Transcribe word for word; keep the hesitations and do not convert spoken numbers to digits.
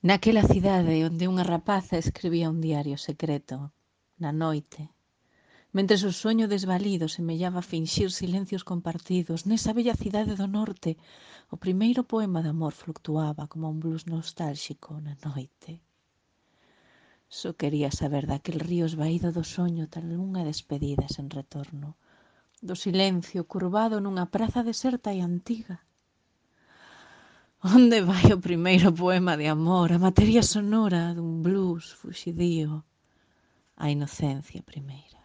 Naquela cidade onde unha rapaza escribía un diario secreto, na noite, mentres o soño desvalido semellaba finxir silencios compartidos, nesa bella cidade do norte, o primeiro poema de amor fluctuaba como un blues nostálxico na noite. Só quería saber daquel río esvaído do soño tal unha despedida sen retorno, do silencio curvado nunha praza deserta e antiga. Onde vai o primeiro poema de amor, a materia sonora dun blues fuxidío, a inocencia primeira?